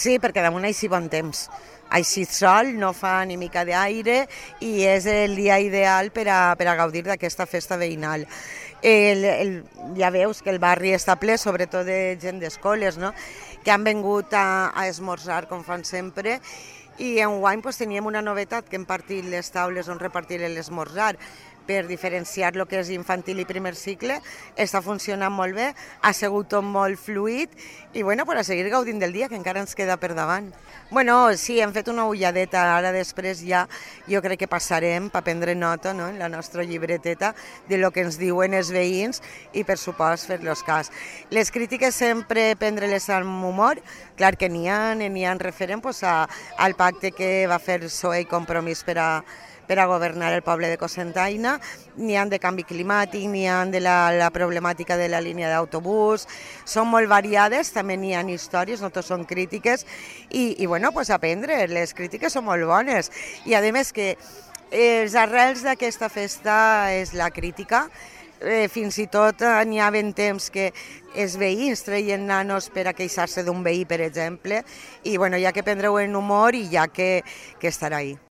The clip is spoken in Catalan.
Sí, perquè damunt així bon temps. Així sol, no fa ni mica d'aire i és el dia ideal per a gaudir d'aquesta festa veïnal. Ja veus que el barri està ple, sobretot de gent d'escoles, no? Que han vingut a esmorzar, com fan sempre, i enguany pues, teníem una novetat que hem partit les taules on repartir l'esmorzar per diferenciar el que és infantil i primer cicle. Està funcionant molt bé, ha sigut tot molt fluid i bueno, per a seguir gaudint del dia, que encara ens queda per davant. Bueno, sí, hem fet una ulladeta, ara després ja jo crec que passarem per prendre nota, no?, en la nostra llibreteta de lo que ens diuen els veïns i per supost fer-los cas. Les crítiques sempre prendre-les amb humor, clar que n'hi ha referent pues, al pacte que va fer PSOE i Compromís per a governar el poble de Cocentaina, n'hi ha de canvi climàtic, n'hi ha de la problemàtica de la línia d'autobús, són molt variades, també n'hi ha històries, no tots són crítiques, i bueno, pues aprendre, les crítiques són molt bones, i a més que els arrels d'aquesta festa és la crítica, fins i tot n'hi ha ben temps que els veïns treien nanos per a queixar-se d'un veí, per exemple, i bueno, hi ha que prendre-ho en humor i hi ha que estar ahí.